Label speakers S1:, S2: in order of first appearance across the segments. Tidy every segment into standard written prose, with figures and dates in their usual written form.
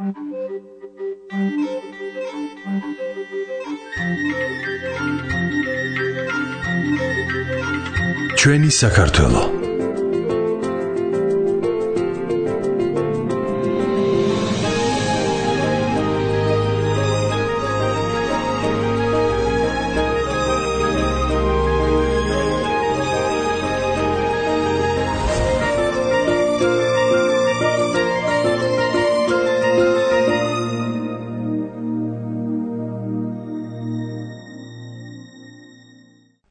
S1: ჩვენი საქართველო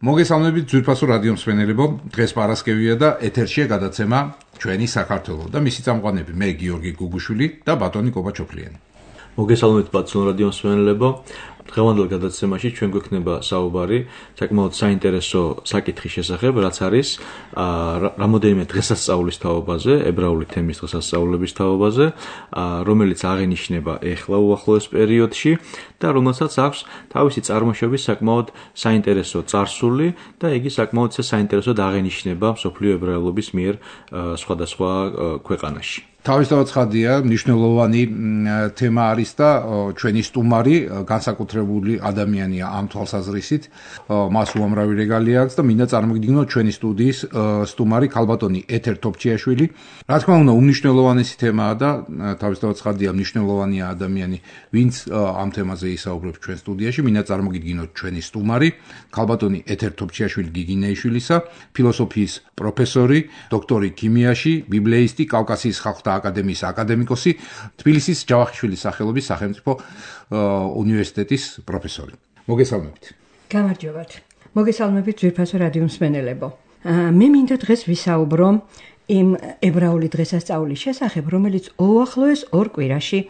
S1: მოგესალმებით ძვირფასო რადიო მსმენელებო, დღეს პარასკევია და ეთერშია გადაცემა ჩვენი საქართველო და მისი წამყვანები მე გიორგი გუგუშვილი და ბატონი კობაჩოფლიანი.
S2: მოგესალმებით ბაცნო რადიო მსმენელებო, დღევანდელ გადაცემაში ჩვენ გვექნება საუბარი საკმაოდ საინტერესო საკითხის შესახებ, რაც არის რამოდენიმე დღესასწაულის თაობაზე, ებრაული თემის დღესასწაულების თაობაზე, რომელიც აღენიშნება ეხლა უახლოეს პერიოდში და რომელსაც აქვს თავისი წარმოშობის საკმაოდ საინტერესო წარსული და იგი საკმაოდ საინტერესოდ აღენიშნება მსოფლიო ებრაელობის მიერ სხვადასხვა ქვეყანაში.
S3: თავისთავად ცხადია, მნიშვნელოვანი თემა არის და ჩვენი სტუმარი განსაკუთრებული ადამიანია ამ თვალსაზრისით, მას უამრავი რეგალია აქვს და მინდა წარმოგიდგინოთ ჩვენი სტუდიის სტუმარი ქალბატონი ეთერ თოფჩიაშვილი. რა თქმა უნდა, უმნიშვნელოვანესი თემაა და თავისთავად ცხადია, მნიშვნელოვანია ადამიანი, ვინც ამ თემაზე ისაუბრებს ჩვენ სტუდიაში. მინდა წარმოგიდგინოთ ჩვენი სტუმარი ქალბატონი ეთერ თოფჩიაშვილი გიგინეიშვილისა, ფილოსოფიის პროფესორი, დოქტორი ქიმიაში, ბიბლიისტი, კავკასიის ხალხთა აკადემიის აკადემიკოსი, თბილისის ჯავახიშვილის სახელობის სახელმწიფო უნივერსიტეტის პროფესორი. მოგესალმებით.
S4: გამარჯობათ. მოგესალმებით ძვირფასო რადიო მსმენელებო. მე მინდა დღეს ვისაუბრო იმ ებრაული დღესასწაულის შესახებ, რომელიც უახლოეს ორ კვირაში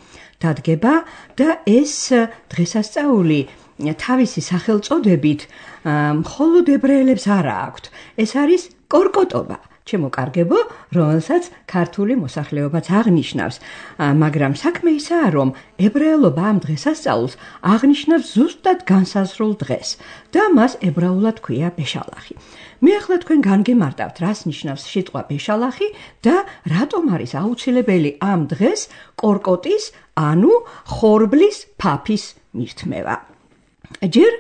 S4: დადგება და ეს დღესასწაული თავისი სახელწოდებით მხოლოდ ებრაელებს არ აქვთ. ეს არის კორკოტობა. ჩემო კარგებო, რომელსაც ქართული მოსახლეობაც აღნიშნავს, მაგრამ საქმე ისაა, რომ ებრაელობა ამ დღესასწაულს აღნიშნავს ზუსტად განსაზღვრულ დღეს და მას ებრაულად ქვია ბეშალახი. მე ახლა თქვენ განგემარტავთ, რას ნიშნავს სიტყვა ბეშალახი და რატომ არის აუცილებელი ამ დღეს კორკოტის, ანუ ხორბლის ფაფის მირთმევა. ჯერ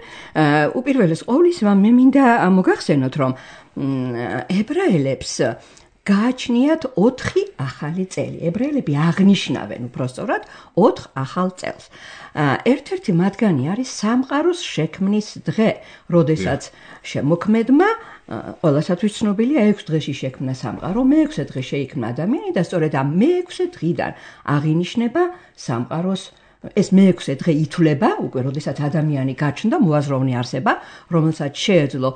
S4: უპირველეს ყოვლისა მე მინდა მოგახსენოთ, რომ ებრაელებს გააჩნიათ 4 ახალი წელი. ებრაელები აღნიშნავენ უпростоრად 4 ახალ წელს. ერთ-ერთი მათგანი არის სამყაროს შექმნის დღე, როდესაც შემოქმედმა ყველასათვის ცნობილია 6 დღეში შექმნა სამყარო, მე-6 დღე შეიქმნა ადამიანი და სწორედ ამ მე-6 დღიდან აღინიშნება სამყაროს ეს მე-6 დღე ითვლება, უკვე როდესაც ადამიანი გაჩნდა, მოაზროვნე არსება, რომელსაც შეეძლო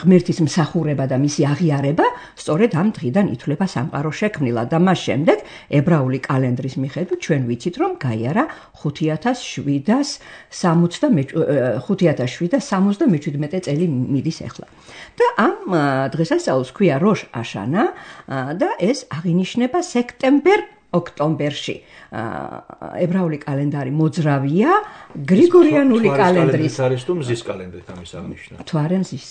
S4: ღმერთის მსახურება და მისი აღიარება, სწორედ ამ დღიდან ითვლება სამყარო შექმნილად და მას შემდეგ ებრაული კალენდრის მიხედვით ჩვენ ვიცით, რომ გაიარა 5767 წელი მიდის ახლა. და ამ დღესასწაულს ქვია როშ აშანა და ეს აღინიშნება ოქტომბერში. ებრაული კალენდარი მოძრავია გრიგორიანული კალენდრის.
S2: არის თუ მზის კალენდრით ამის აღნიშნა.
S4: თუ არა მზის.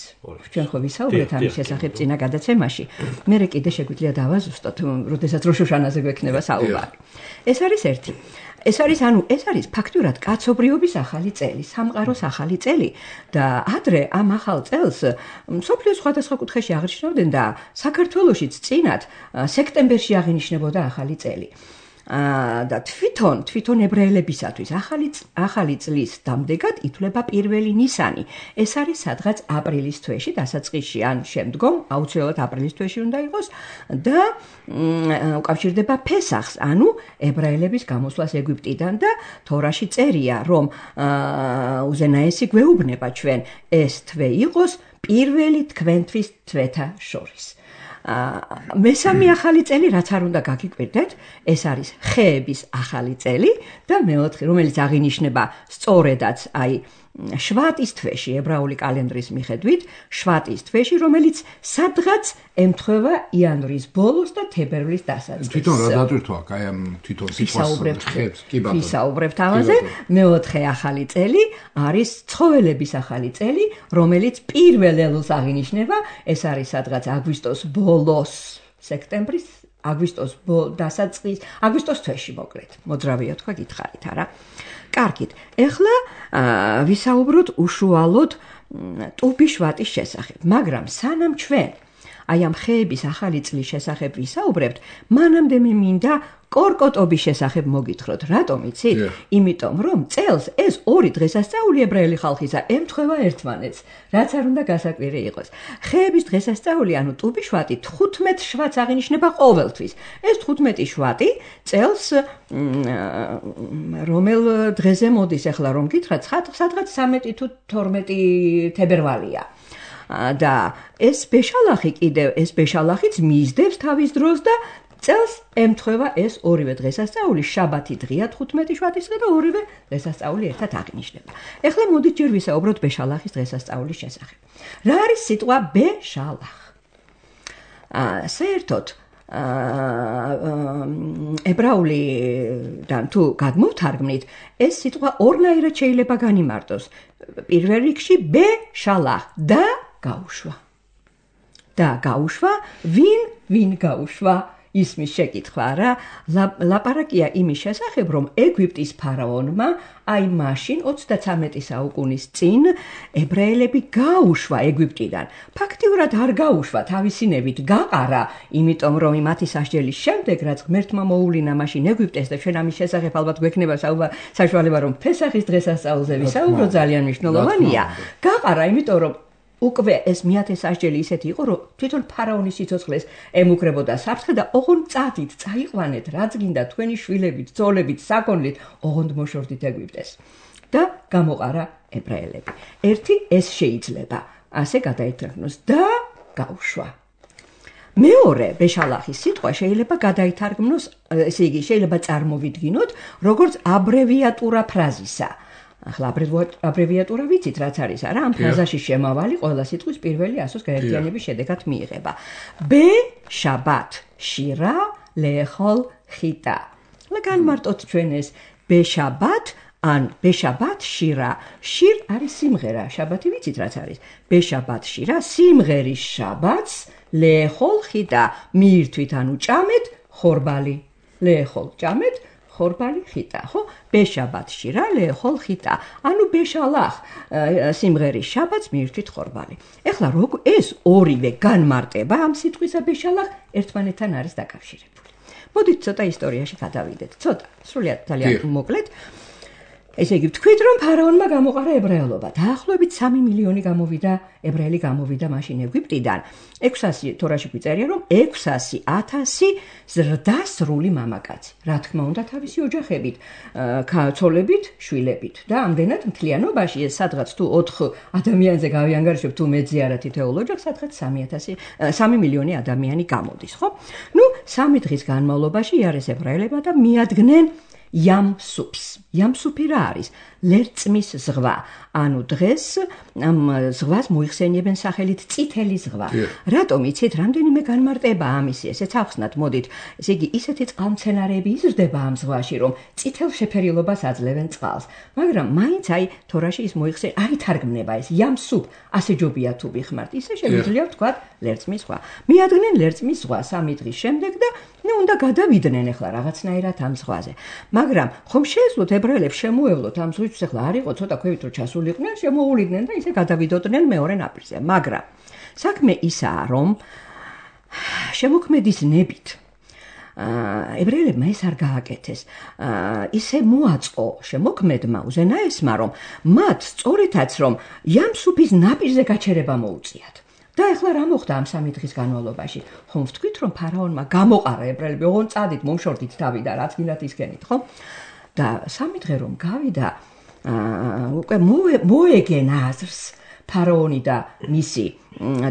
S4: ჩვენ ხო ვისაუბრეთ ამის შესახებ წინა გადაცემაში. მე კიდე შეგვიძლია დავაზუსტოთ, როდესაც როშ აშანაზე გვექნება საუბარი. ეს არის ერთი. ეს არის ფაქტურად კაცობრიობის ახალი წელი, სამყაროს ახალი წელი და ადრე ამ ახალ წელს მსოფლიოს სხვადასხვა კუთხეში აღნიშნავდნენ და საქართველოშიც წინათ სექტემბერში აღინიშნებოდა ახალი წელი. და თვითონ ებრაელებისათვის ახალი წლის დამდეგად ითვლება 1 ნისანი. ეს არის სადღაც აპრილის თვეში, დასაწყისში ან შემდგომ, აუცილებლად აპრილის თვეში უნდა იყოს და უკავშირდება ფესახს, ანუ ებრაელების გამოსვლას ეგვიპტიდან და თორაში წერია, რომ უზენაესი გვეუბნება ჩვენ ეს თვე იყოს პირველი თქვენთვის თვეთა შორის. მესამე ახალი წელი, რაც არ უნდა გაგიკვირდეთ, ეს არის ხეების ახალი წელი და მეოთხე, რომელიც აღინიშნება სწორედაც შვატის თვეში, ებრაული კალენდრის მიხედვით, შვატის თვეში, რომელიც სადღაც ემთხვევა იანვრის ბოლოს და თებერვლის დასაწყისს.
S3: თვითონ რა დატვირთვა, ამ თვითონ სიტყვას ხებს, კი ბატონო.
S4: ვისაუბრებთ ამაზე. მეოთხე ახალი წელი არის ცხოველების ახალი წელი, რომელიც პირველ ელულს აღინიშნება, ეს არის სადღაც აგვისტოს ბოლოს, სექტემბრის აგვისტოს აგვისტოს თვეში მოკლედ. მოძრავია თქვა გითხარით არა? კარგით. ეხლა ვისაუბროთ უშუალოდ ტუბის შვატის შესახებ, მაგრამ სანამ ჩვენ აი ამ ხეების ახალი წლის შესახებ ვისაუბრებთ, მანამდე მე მინდა კორკოტობის შესახებ მოგითხროთ. რატომ იცით? იმიტომ რომ წელს ეს ორი დღესასწაული ებრაელი ხალხისა ემთხვევა ერთმანეთს, რაც არ უნდა გასაკვირი იყოს. ხეების დღესასწაული, ანუ ტუბის შვატი 15 შვატს აღინიშნება ყოველთვის. ეს 15 შვატი წელს რომელ დღეზე მოდის ახლა რომ გითხრათ, სადღაც 13 თუ 12 თებერვალია. და ეს ბეშალახი კიდევ, ეს ბეშალახიც მისდევს თავის დროს და წელს ემთხვევა ეს ორივე დღესასწაული, შაბათი დღეა 15 შვატისდღე და ორივე დღესასწაული ერთად აღინიშნება. ეხლა მოდით ჯერ ვისაუბროთ ბეშალახის დღესასწაულის შესახებ. რა არის სიტყვა ბეშალახ? საერთოდ ებრაულიდან თუ გადმოვთარგმნით, ეს სიტყვა ორნაირად შეიძლება განიმარტოს. პირველ რიგში ბეშალახ და გაუშვა. და გაუშვა, ვინ გაუშვა? ისმის შეკითხვა რა, ლაპარაკია იმის შესახებ, რომ ეგვიპტის ფარაონმა აი მაშინ 33 საუკუნის წინ ებრაელები გაუშვა ეგვიპტიდან. ფაქტიურად არ გაუშვა, თავისინებით გაყარა, იმიტომ რომ მათი სასჯელის შემდეგ, რაც ღმერთმა მოუვლინა მაშინ ეგვიპტეს და ჩვენ ამის შესახებ ალბათ გვექნება საშუალება, რომ ფესახის დღესასწაულზე ვისაუბროთ, ძალიან მნიშვნელოვანია. გაყარა, იმიტომ რომ უკვე ეს მეათე სასჯელი ისეთი იყო, რომ თვითონ ფარაონის სიცოცხლეს ემუქრებოდა საფრთხე და ოღონდ წადით, წაიყვანეთ, რაც გინდა თქვენი შვილებით, ძოლებით, საქონლით, ოღონდ მოშორდით ეგვიპტეს. და გამოყარა ებრაელები. ერთი ეს შეიძლება ასე გადაითარგმნოს და გაუშვა. მეორე ბეშალახის სიტყვა შეიძლება გადაითარგმნოს, ესე იგი შეიძლება წარმოვიდგინოთ, როგორც აბრევიატურა ფრაზისა. ახლა აბრევიატურა ვიცით რაც არის არა? ამ ფრაზაში შემავალი ყველა სიტყვის პირველი ასოს გაერთიანების შედეგად მიიღება. ბე-შაბათ შირა ლეხოლ ხიტა. განმარტოთ ჩვენ ეს ბე-შაბათ ან ბე-შაბათ შირა. შირ არის სიმღერა, შაბათი ვიცით რაც არის. ბე-შაბათ შირა სიმღერის შაბათს ლეხოლ ხიტა. მიირთვით ანუ ჭამეთ ხორბალი. ლეხოლ ჭამეთ ხორბალი ხიტა, ხო? ბეშაბათ შირა ლეხოლ ხიტა. ანუ ბეშალახ სიმღერის შაბათს მიირთვით ხორბალი. ეხლა ეს ორივე განმარტება ამ სიტყვისა ბეშალახ ერთმანეთთან არის დაკავშირებული. მოდით ცოტა ისტორიაში გადავიდეთ. ცოტა, სრულიად ძალიან მოკლედ. ესე იგი ვთქვით, რომ ფარაონმა გამოყარა ებრაელობა. დაახლოებით 3 მილიონი ებრაელი გამოვიდა მაშინ ეგვიპტიდან. 600 თორაში გვიწერია, რომ 600,000 ზრდასრული მამაკაცი. რა თქმა უნდა, თავისი ოჯახებით, ცოლებით, შვილებით. და ამდენად მთლიანობაში ეს სადღაც თუ 4 ადამიანზე გავიანგარიშებ, თუ მეძე არა თითოეულ ოჯახს, სადღაც 3 მილიონი ადამიანი გამოდის, ხო? 3 დღის განმავლობაში იარეს ებრაელებმა და მიადგნენ Yam-Sups. Yam-Supi რა არის? ლერწმის ზღვა. ანუ დღეს ამ ზღვას მოიხსენიებენ სახელით წითელი ზღვა. რატომ იცით, რამდენიმე განმარტება ამისი, ესეც ახსნათ, მოდით. ესე იგი, ისეთი წყალმცენარეები იზრდება ამ ზღვაში, რომ წითელ შეფერილობას აძლევენ წყალს. მაგრამ მაინც აი თორაში ის აითარგმნება ეს Yam-Sup, ასე ჯობია თუ ვიხმართ. ისე შეგვიძლია ვთქვათ ლერწმის ზღვა. მიადგნენ ლერწმის ზღვა 3 დღის შემდეგ და უნდა გადავიდნენ ახლა რაღაცნაირად ამ ზღვაზე. მაგრამ ხომ შეეძლოთ ებრაელებს შემოევლოთ ამ ზღვისთვის, ახლა არ იყო ცოტა ქვევით რომ ჩასულიყვნენ, შემოუვლიდნენ და ისე გადავიდოდნენ მეორე ნაპირზე. მაგრამ საქმე ისაა, რომ შემოქმედის ნებით ებრაელებმა ეს არ გააკეთეს. ისე მოაწყო შემოქმედმა უზენაესმა, რომ მათ სწორედაც რომ Yam-Supis ნაპირზე გაჩერება მოუწიათ. და ახლა რა მოხდა ამ 3 დღის განმავლობაში? ხომ ვთქვით, რომ ფარაონმა გამოყარა ებრაელები, ოღონდ წადით, მომშორდით თავი და რაც გინდათ ისქენით, ხო? და 3 დღე რომ გავიდა, უკვე მოეგენ აზრს ფარაონი და მისი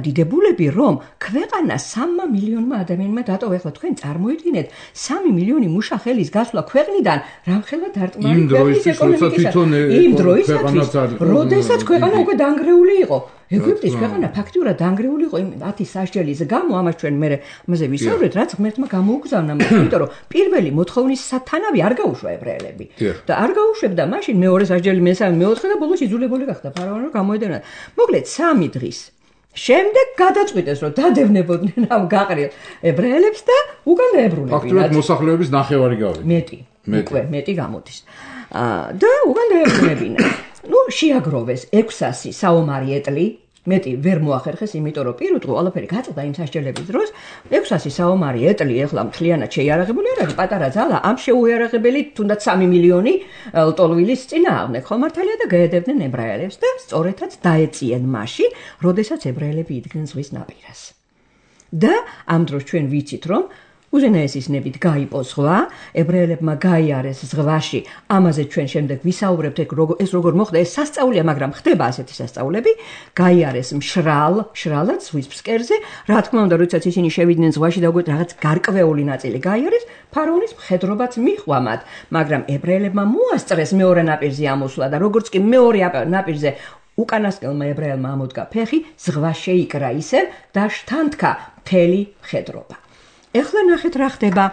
S4: დიდებულები, რომ ქვეყანა 3 მილიონმა ადამიანმა დატოვა. ახლა თქვენ წარმოიდგინეთ 3 მილიონი მუშა ხელის გასვლა ქვეყნიდან, რამხელა დარტყმარი ქვეყნის ეკონომიკისა. იმ დროისათვის, როდესაც ქვეყანა უკვე დანგრეული იყო. ეგვიპტის ქვეყანა ფაქტიურად დანგრეული იყო იმ 10 სასჯელის გამო, ამას ჩვენ ამაზე ვისაუბრეთ, რაც ღმერთმა გამოუგზავნა, იმიტომ რომ პირველი მოთხოვნის სათანავი არ გაუშვა ებრაელები. და არ გაუშვებდა მაშინ მეორე სასჯელი, მესამე, მეოთხე და ბოლოს იძულებული გახდა ფარაონი რომ გამოედენა. მოკლედ 3 დღის შემდეგ გადაწყვიტეს, რომ დადევნებოდნენ ამ გაყრილ ებრაელებს და უკან დაებრუნებინათ.
S3: ფაქტურად მოსახლეობის ნახევარი გავიდა.
S4: მეტი გამოდის. და უკან დაებრუნებინათ. შეაგროვეს 600 საომარი ეტლი, მეტი ვერ მოახერხეს, იმიტომ რომ პირუტყვი ყველაფერი გაწყდა იმ სასჯელების დროს. 600 საომარი ეტლი ეხლა მთლიანად შეიარაღებული არ არის, პატარა ძალა, ამ შეუიარაღებელი თუნდაც 3 მილიონი ლტოლვილის წინააღმდეგ ხომართალია და გაედევდნენ ებრაელებს და სწორედაც დაეწიენ მაშინ, როდესაც ებრაელები იდგნენ ზღვის ნაპირას. და ამ დროს ჩვენ ვიცით, რომ უზენაესის ნებით გაიპო ზღვა, ებრაელებმა გაიარეს ზღვაში, ამაზე ჩვენ შემდეგ ვისაუბრებთ, ეს როგორ მოხდა, ეს სასწაულია, მაგრამ ხდება ასეთი სასწაულები, გაიარეს მშრალად ზღვის ფსკერზე, რა თქმა უნდა, როდესაც ისინი შევიდნენ ზღვაში და რაღაც გარკვეული ნაწილი გაიარეს, ფარაონის მხედრობაც მიჰყვა მათ, მაგრამ ებრაელებმა მოასწრეს მეორე ნაპირზე ამოსვლა და როგორც კი მეორე ნაპირზე უკანასკნელმა ებრაელმა ამოდგა ფეხი, ზღვა შეიკრა ისევ და შთანთქა მთელი მხედრობა. ეხლა ნახეთ რა ხდება,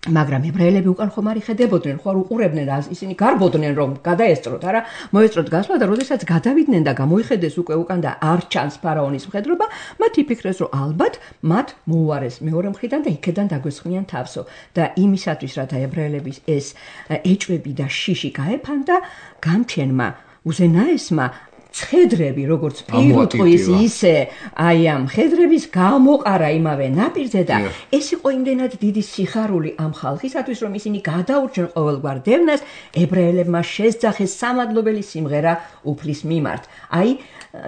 S4: მაგრამ ებრაელები უკან ხომ არ იხედებოდნენ, ხო არ უყურებდნენ, ისინი გარბოდნენ რომ გადაესწროთ, არა, მოესწროთ გასვლა და როდესაც გადავიდნენ და გამოიხედეს უკვე უკან და არ ჩანს ფარაონის მხედრობა, მათ იფიქრეს რომ ალბათ მათ მოუარეს მეორე მხრიდან და იქედან დაგვესხმიან თავსო და იმისათვის რათა ებრაელების ეს ეჭვები და შიში გაეფანდა, გამჩენმა უზენაესმა ცხედრები, როგორც პირუტყვის, ისე აი ამ მხედრების გამოყარა იმავე ნაპირზე და ეს იყო იმდენად დიდი სიხარული ამ ხალხისათვის, რომ ისინი გადაურჩენ ყოველგვარ დევნას, ებრაელებმა შესძახეს სამადლობელი სიმღერა უფლის მიმართ. აი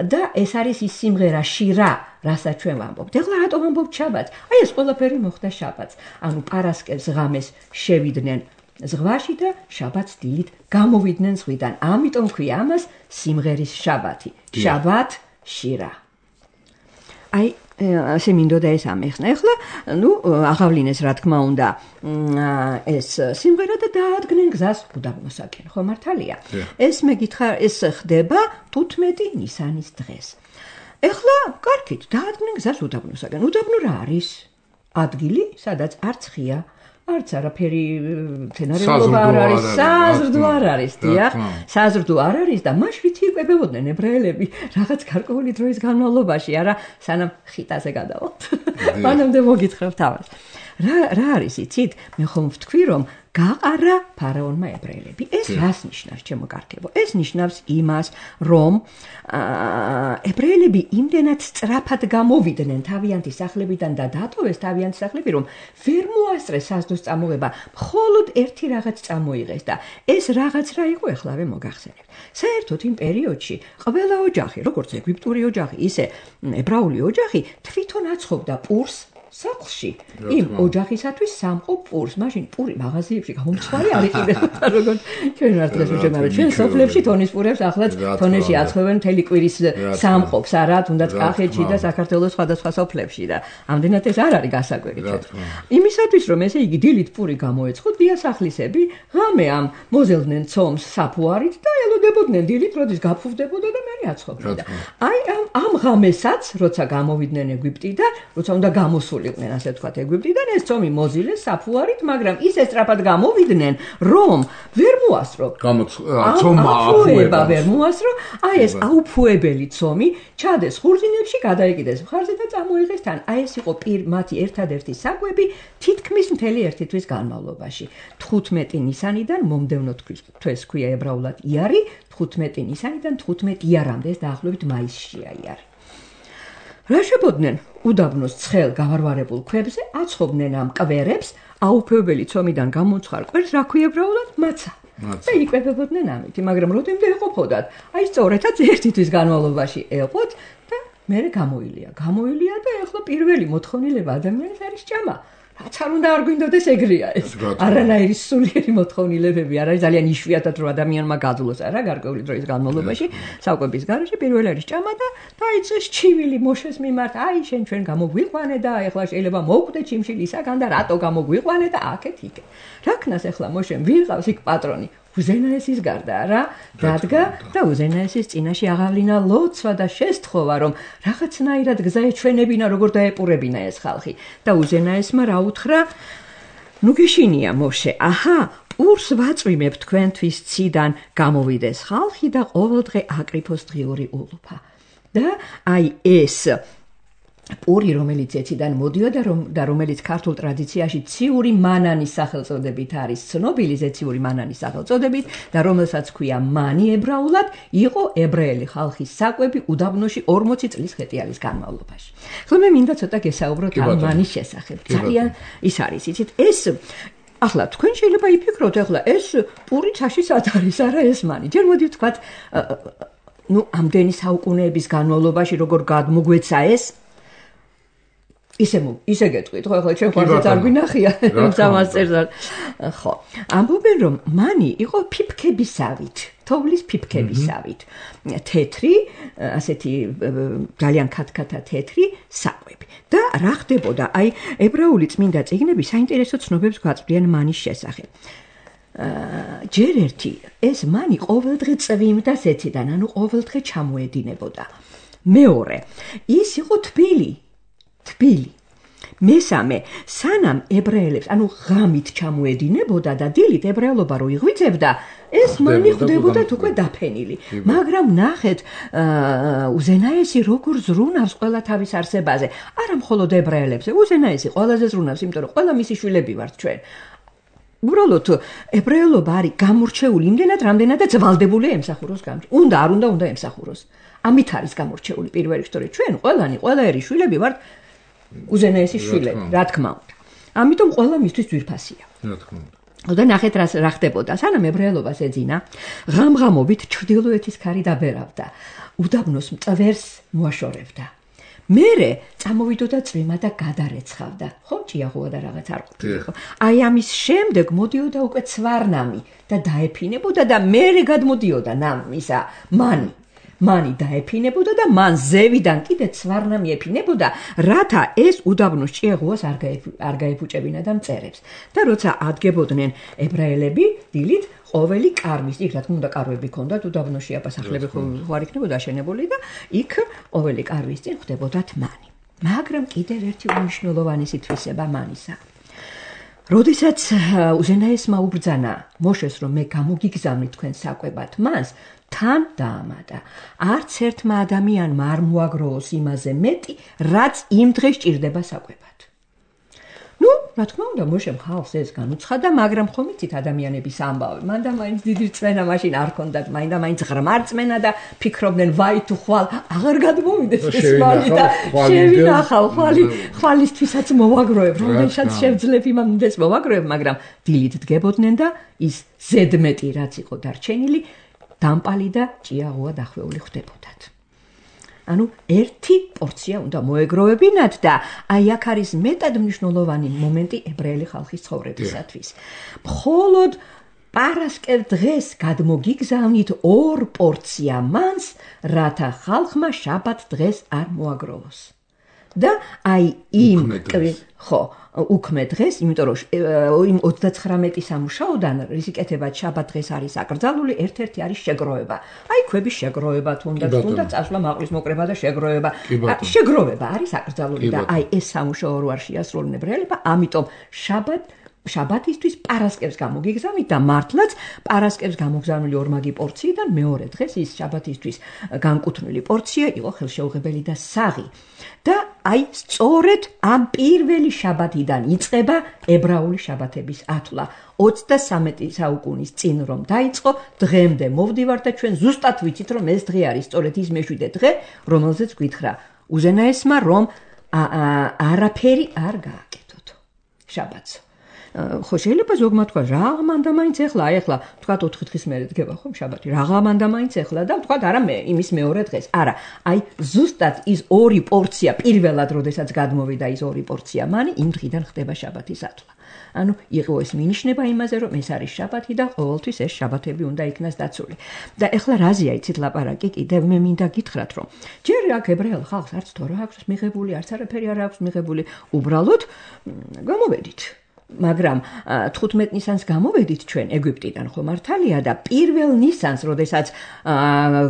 S4: და ეს არის ის სიმღერა შირა, რასაც ჩვენ ვამბობთ. ეხლა რატომ ვამბობთ შაბათს? აი ეს ყველაფერი მოხდა შაბათს. ანუ პარასკევს ღამეს შევიდნენ ზღვაში და შაბათს დილით გამოვიდნენ ზღვიდან. ამიტომ ქვია ამას სიმღერის შაბათი. შაბათ შირა. აი ასე მინდოდა ეს ამეხნა. ეხლა აღავლინეს რა თქმა უნდა ეს სიმღერა და დაადგნენ გზას უდაბნოსაკენ. ხო მართალია? ეს მეკითხა ეს ხდება 15 ნისანის დღეს. ეხლა კარგით, დაადგნენ გზას უდაბნოსაკენ. უდაბნო რა არის? ადგილი, სადაც არც ხია არც არაფერი თენარეულობა არ არის, საზრდო არ არის, დიახ, საზრდო არ არის და მაშინ იკვებებოდნენ ებრაელები რაღაც გარკვეული დროის განმავლობაში, არა, სანამ ხიტაზე გადავალთ. მანამდე მოგითხრობთ ამას. რა არის იცით? მე ხომ ვთქვი რომ გაყარა ფარაონმა ებრაელები. ეს რას ნიშნავს, ჩემო კარგებო? ეს ნიშნავს იმას, რომ ებრაელები იმდენად სწრაფად გამოვიდნენ თავიანთი სახლებიდან და დატოვეს თავიანთი სახლები, რომ ვერ მოასწრეს საზრდოს წამოღება, მხოლოდ ერთი რაღაც წამოიღეს და ეს რაღაც რა იყო ეხლავე მოგახსენებთ. საერთოდ იმ პერიოდში ყველა ოჯახი, როგორც ეგვიპტური ოჯახი, ისე ებრაული ოჯახი თვითონ აცხობდა პურს სახლში იმ ოჯახისათვის სამყო პურს. მაშინ პური მაღაზიებში გამომცხვარი არ იყიდებოდა, როგორც ჩვენ ვართ დღეს უჩვენებთ. ჩვენ სოფლებში თონის პურებს ახლაც თონეში აცხოვენ მთელი კვირის სამყობს, არა, თუნდაც კახეთში და საქართველოს სხვადასხვა სოფლებში და ამდენად ეს არ არის გასაკვირი ჩვენ. იმისათვის რომ ესე იგი დილით პური გამოეცხოთ, დიასახლისები ღამე ამ მოზელდნენ ცომს საფუარით და ელოდებოდნენ დილით, როდის გაფუვდებოდა და მერე აცხობდნენ. აი ამ ღამესაც, როცა გამოვიდნენ ეგვიპტიდან, როცა უნდა გამოსულიყვნენ, ასე ვთქვათ, ეგვიპტიდან, ეს ცომი მოზილეს საფუარით, მაგრამ ისე სწრაფად გამოვიდნენ, რომ ვერ მოასწრო.
S3: ცომა აფუება
S4: ვერ მოასწრო, აი ეს აუფუებელი ცომი ჩადეს ხურძინებში, გადაეკიდეს მხარზე და წამოიღეს თან. აი ეს იყო მათი ერთადერთი საკვები თითქმის მთელი ერთი თვის განმავლობაში. 15 ნისანიდან მომდევნო თვეს ქვია ებრაულად იარი, 15 ნისანიდან 15 იარამდე, ეს დაახლოებით მაისშია იარი. რა შებოდნენ უდაბნოს ცხელ გავარვარებულ ქვებზე, აცხობდნენ ამ კვერებს, აუფუებელი ცომიდან გამომცხარ კვერს, რა ქვია ებრაულად? მაცა. და იკვებებოდნენ ამით, მაგრამ როდემდე ეყოფოდათ? აი სწორედაც ერთი თვის განმავლობაში ეყოთ და მერე გამოილია და ეხლა პირველი მოთხოვნილება ადამიანის არის ჭამა. რაც არ უნდა არ გვინდოდეს ეგრეა ეს. არანაირი სულიერი მოთხოვნილებები არ არის, ძალიან იშვიათად რომ ადამიანმა გაძლოს, არა, გარკვეული დროის განმავლობაში, საკვების გარეშე პირველი არის ჭამა და დაიწყეს ჩივილი მოშეს მიმართ, აი შენ ჩვენ გამოგვიყვანე და ეხლა შეიძლება მოვკვდე ჩიმშილისაგან და რატო გამოგვიყვანე და აქეთ იქ. რა ქნას ეხლა მოშენ ვინ ყავს იქ პატრონი? უზენაესის გარდა, რა? დადგა და უზენაესის წინაშე აღავლინა ლოცვა და შესთხოვა, რომ რაღაცნაირად გზა ეჩვენებინა, როგორ დაეპურებინა ეს ხალხი. და უზენაესმა რა უთხრა? ნუ გეშინია მოშე, აჰა, პურს ვაწვიმებ თქვენთვის ციდან, გამოვიდეს ხალხი და ყოველდღე აკრიფოს დღიური ულუფა. და აი ეს პური, რომელიც ეციდან მოდიოდა და რომელიც ქართულ ტრადიციაში ციური მანანის სახელწოდებით არის ცნობილი, ზეციური მანანის სახელწოდებით და რომელსაც ქვია მანი ებრაულად, იყო ებრაელი ხალხის საკვები უდაბნოში 40 წლის ხეტიალის განმავლობაში. ხოლო მე მინდა ცოტა გესაუბროთ ამ მანის შესახებ. ძალიან ის არის, იცით, ეს ახლა თქვენ შეიძლება იფიქროთ, ახლა ეს პური ცაში სად არის, არა ეს მანი. ჯერ მოდი ვთქვათ, ამდენი საუკუნეების განმავლობაში როგორ გადმოგვეცა ეს ისე გეტყვით, ხო, ახლა ჩვენ ხარჯაც არ გვინახია ამას წერდა. ხო. ამბობენ, რომ მანი იყო ფიფქებისავით, თოვლის ფიფქებისავით. თეთრი, ასეთი ძალიან ქათქათა თეთრი საკვები. და რა ხდებოდა? აი, ებრაული წმინდა წიგნები საინტერესო ცნობებს გვაწვდიან მანის შესახებ. ჯერ ერთი ეს მანი ყოველდღე წვიმდა ზეციდან, ანუ ყოველდღე ჩამოედინებოდა. მეორე, ის იყო თბილი. მესამე, სანამ ებრაელებს, ანუ ღამით ჩამოედინებოდა და დილით ებრაელობა რო იღვიძებდა, ეს მანი ხდებოდათ უკვე დაფენილი. მაგრამ ნახეთ, უზენაესი როგორ ზრუნავს ყველა თავის არსებაზე. არა მხოლოდ ებრაელებზე, უზენაესი ყველაზე ზრუნავს, იმიტომ რომ ყველა მისი შვილები ვართ ჩვენ. უბრალოდ ებრაელობა არის გამორჩეული იმდენად, რამდენადაც ვალდებული ემსახუროს გამჭ. უნდა ემსახუროს. ამით არის გამორჩეული პირველ რიგში, ჩვენ ყველა ერი შვილები ვართ უზენაესი შვილები, რა თქმა უნდა. ამიტომ ყველა მისთვის ძვირფასია.
S3: რა თქმა უნდა.
S4: და ნახეთ რა ხდებოდა. სანამ ებრაელობას ეძინა, ღამ-ღამობით ჩრდილოეთის ქარი დაბერავდა. უდაბნოს მწვერს მოაშორებდა. მერე წამოვიდოდა წვიმა და გადარეცხავდა. ხო, ჭიაღუა და რაღაც არ ყოფილიყო. აი ამის შემდეგ მოდიოდა უკვე ცვარნამი და დაეფინებოდა და მერე გადმოდიოდა ისა მანი დაეფინებოდა და მან ზევიდან კიდე ცვარნამი ეფინებოდა, რათა ეს უდაბნოს ჭიაღუას არ გაეფუჭებინა და მწერებს. და როცა ადგებოდნენ ებრაელები დილით, ყოველი კარვის, იქ რა თქმა უნდა კარვები ჰქონდათ, უდაბნოში აპასახლები ხوار იქნებოდა აშენებული და იქ ყოველი კარვის წინ ხდებოდათ მანი. მაგრამ კიდევ ერთი უმნიშვნელოვანესი თვისება მანისა. როდესაც უზენაესმა უბრძანა მოშეს, რომ მე გამოგიგზავნით თქვენ საკვებად მას, თან დაამატა. არც ერთმა ადამიანმა არ მოაგროოს იმაზე მეტი, რაც იმ დღეს ჭირდება საკვებად. რა თქმა უნდა, მოშემ ხალხს ეს განუცხადა, მაგრამ ხომ იცით ადამიანების ამბავი. მან და მაინც დიდი რწმენა მაშინ არ ჰქონდათ, მაინც ღრმა რწმენა და ფიქრობდნენ, ვაი თუ ხვალ აღარ გადმოვიდეს ეს მანი და შევინახავ ხვალისთვისაც მოვაგროებ, რომელსაც შევძლებ იმამდეს მოვაგროებ, მაგრამ დილით დგებოდნენ და ის ზედმეტი რაც იყო დარჩენილი, დამპალი და ჭიაღუა დახვეული ხდებოდათ. ანუ ერთი პორცია უნდა მოეგროვებინათ და აი აქ არის მეტად მნიშვნელოვანი მომენტი ებრაელი ხალხის ცხოვრებისათვის. მხოლოდ პარასკევ დღეს გადმოგიგზავნით 2 პორცია მანს, რათა ხალხმა შაბათ დღეს არ მოაგროვოს. და აი იმ უქმე დღეს, იმიტომ რომ იმ 39 სამუშაოდან რისიკეთებად შაბათ დღეს არის აკრძალული, ერთ-ერთი არის შეგროვება. აი ქვების შეგროვება თუნდაც წასვლა მაყრის მოკრება და შეგროვება. შეგროვება არის აკრძალული და აი ეს სამუშაო რო არ შეასრულონ ებრაელებმა, ამიტომ შაბათისთვის პარასკევს გამოგიგზავნით და მართლაც პარასკევს გამოგზავნილი ორმაგი პორციიდან მეორე დღეს ის შაბათისთვის განკუთვნილი პორცია იყო ხელშეუღებელი და საღი. და აი სწორედ ამ პირველი შაბათიდან იწყება ებრაული შაბათების ათვლა. 23 საუკუნის წინ რომ დაიწყო, დღემდე მოვდივართ და ჩვენ ზუსტად ვიცით რომ ეს დღე არის სწორედ ის მეშვიდე დღე, რომელზეც გითხრა უზენაესმა რომ არაფერი არ გააკეთოთ შაბათს. ხო შეიძლება ზოგმა თქვა რა მანდა მაინც ეხლა თქვა 4 დღის მერე დგება ხომ შაბათი რა მანდა მაინც ეხლა და თქვა არა მე იმის მეორე დღეს არა აი ზუსტად ის 2 პორცია პირველად როდესაც გადმოვიდა ის 2 პორცია მანი იმ დღიდან ხდება შაბათის ათვლა ანუ იყო ეს მინიშნება იმაზე რომ ეს არის შაბათი და ყოველთვის ეს შაბათები უნდა იქნას დაცული და ეხლა რაზეა იცით ლაპარაკი კიდევ მე მინდა გითხრათ რომ ჯერ აქ ებრაელ ხალხს არც თორე აქვს მიღებული არც არაფერი არ აქვს მიღებული უბრალოდ გამოვედით მაგრამ 15 ნისანს გამოვედით ჩვენ ეგვიპტიდან ხო მართალია და პირველ ნისანს როდესაც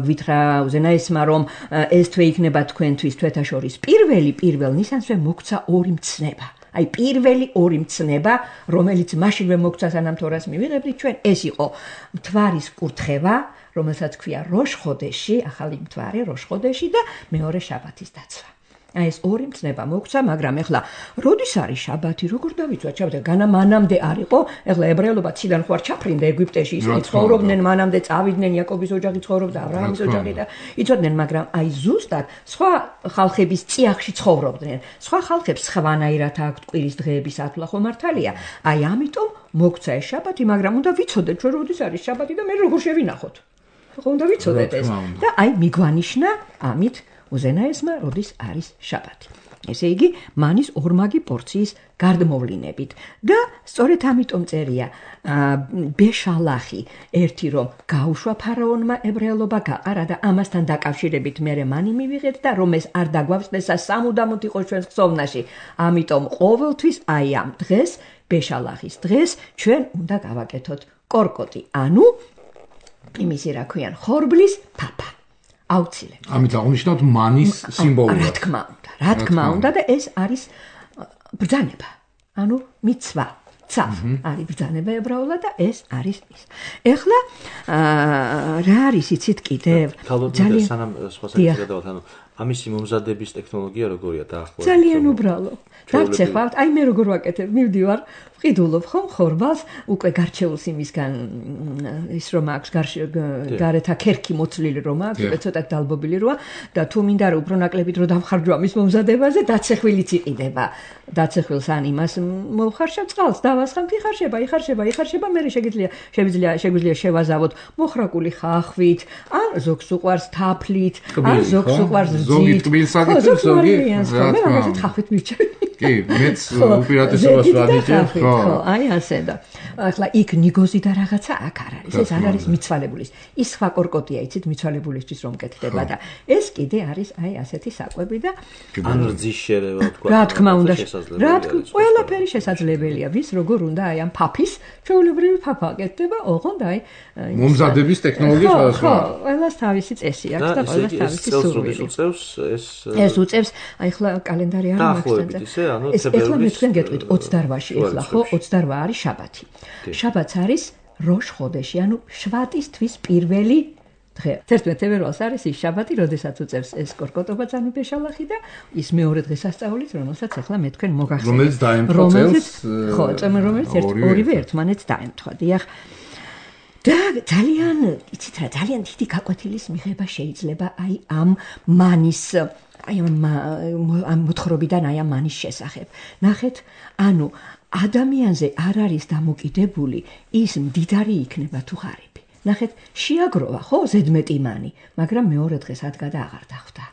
S4: გვითხრა უზენაესმა რომ ეს თვე იქნება თქვენთვის თვეთა შორის პირველ ნისანსვე მოგცა 2 მცნება აი პირველი ორი მცნება, რომელიც მაშინვე მოგცა სანამ თორას მივიღებდით ჩვენ, ეს იყო მთვარის კურთხევა, რომელსაც ქვია როშ-ხოდეში, ახალი მთვარე როშ-ხოდეში და მეორე შაბათის დაცვა. აი ეს ორი მცნება მოგცა, მაგრამ ეხლა როდის არის შაბათი, როგორ დავიცვათ შაბათი? განა მანამდე არ იყო, ეხლა ებრაელობა ციდან ხوار ჩაფრინდა ეგვიპტეში, ისინი ცხოვრობდნენ, მანამდე წავიდნენ, იაკობის ოჯახი ცხოვრობდა, აბრაამის ოჯახი და იცოდნენ, მაგრამ აი ზუსტად სხვა ხალხების წიაღში ცხოვრობდნენ. სხვა ხალხებს სხვანაირად აქვთ კვირის დღეების ათვლა, ხო მართალია? აი ამიტომ მოგცა ეს შაბათი, მაგრამ უნდა ვიცოდეთ, რომ როდის არის შაბათი და მე როგორ შევინახოთ. ხო უნდა ვიცოდეთ ეს. და აი მიგვანიშნა ამით უზენაესმა როდის არის შაბათი. ესე იგი, მანის ორმაგი პორციის გარდმოვლინებით და სწორედ ამიტომ წერია ბეშალახი ერთი რომ გაუშვა ფარაონმა ებრაელობა გაყარა და ამასთან დაკავშირებით მე მანი მივიღეთ და რომ ეს არ დაგვავსდესა სამუდამოდ იყო ჩვენს ხსოვნაში. ამიტომ ყოველთვის აი ამ დღეს, ბეშალახის დღეს ჩვენ უნდა გავაკეთოთ კორკოტი, ანუ იმისი რა ქვიან, ხორბლის ფაფა. აუცილებლად.
S3: ამით აღნიშნავთ მანის სიმბოლურად.
S4: რა თქმა უნდა და ეს არის ბრძანება. ანუ მიცვა. არის ბრძანება ებრაულად და ეს არის ის. ეხლა რა არის იცით კიდევ?
S2: ძალიან სანამ სხვა საკითხი გადავთ, ანუ ამისი მომზადების ტექნოლოგია როგორია დაახლოებით?
S4: ძალიან უბრალო. დაგწეხავთ, აი მე როგორ ვაკეთებ, მივდივარ, ვყიდულობ ხომ ხორბალს, უკვე გარჩეულს იმისგან ის რომ აქვს გარეთა ქერქი მოცლილი რომ აქვს, უკვე ცოტა დალბობილი როა და თუ მინდა რომ უფრო ნაკლებით რომ დავხარჯო ამის მომზადებაზე, დაცეხვილიც იყიდება. დაცეხვილს ან იმას მოვხარშავ წყალს, დავასხამთ, იხარშება, მე შეგვიძლია შევაზავოთ მოხრაკული ხახვით, ან ზოგს უყვარს თაფლით, ან ზოგს უყვარს
S3: ზოგი ტკბილსაგით, ზოგი
S4: რაღაცით ხახვით მივჭერ.
S3: კი, მეც უპირატესობას ვადიდებ, ხო.
S4: აი ასე და ახლა იქ ნიგოზი და რაღაცა აქ არ არის. ეს არ არის მიცვალებულის. ის სხვა კორკოტია, იცით, მიცვალებულისთვის რომ კეთდება და ეს კიდე არის აი ასეთი საკვები და
S2: ან რძის შერევა თქვა.
S4: რა თქმა უნდა, ყველაფერი შესაძლებელია. ვის როგორ უნდა აი ამ ფაფის, ჩვეულებრივი ფაფა კეთდება, ოღონდ აი
S3: მომზადების ტექნოლოგია სხვადასხვა.
S4: ხო, ყველას თავისი წესი აქვს და ყველას თავისი სურვილი. ეს უწევს, აი ახლა კალენდარი არ მაქვს. ეს ეხლა მე თქვენ გეტყვით 28-ში ეხლა ხო 28 არის შაბათი. შაბათს არის როშ-ხოდეში, ანუ შვატის თვის პირველი დღე. 11 თებერვალს არის ის შაბათი, როდესაც უწევს ეს კორკოტობაც ანუ ბეშალახი და ის მეორე დღესასწაულიც, რომელსაც ეხლა მე თქვენ მოგახსენებთ.
S3: რომელიც დაემთხვა წელს.
S4: ხო, რომელიც ორივე ერთმანეთს დაემთხვა. დიახ. და ძალიან, იცით რა, ძალიან დიდი გაკვეთილის მიღება შეიძლება აი ამ მანის აი ამ მოთხრობიდან აი ამ მანის შესახებ. ნახეთ, ანუ ადამიანზე არ არის დამოკიდებული ის მდიდარი იქნება თუ ღარიბი. ნახეთ, შეაგროვა ხო ზედმეტი მანი, მაგრამ მეორე დღეს ადგა აღარ დახვდა.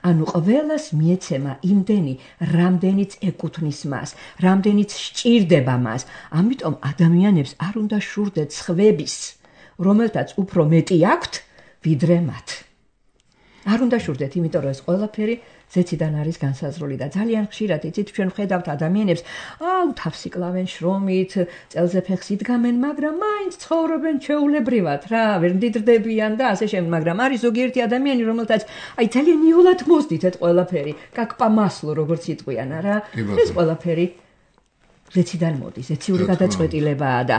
S4: ანუ ყველას მიეცემა იმდენი, რამდენიც ეკუთვნის მას, რამდენიც სჭირდება მას. ამიტომ ადამიანებს არ უნდა შურდეთ სხვების, რომელთაც უფრო მეტი აქვთ, ვიდრე მათ. არ უნდა შურდეთ, იმიტომ რომ ეს ყველაფერი ზეციდან არის განსაზღვრული და ძალიან ხშირად იცით ჩვენ ვხედავთ ადამიანებს, თავს იკლავენ შრომით, წელზე ფეხს იდგამენ, მაგრამ მაინც ცხოვრობენ ჩვეულებრივად, რა, ვერ მდიდრდებიან და ასე შემდეგ, მაგრამ არის ზოგიერთი ადამიანი, რომელთაც აი ძალიან იოლად მოსდით ეს ყველაფერი, как по маслу, როგორც იტყვიან, რა. ეს ყველაფერი ზეციდან მოდის, ზეციური გადაწყვეტილებაა და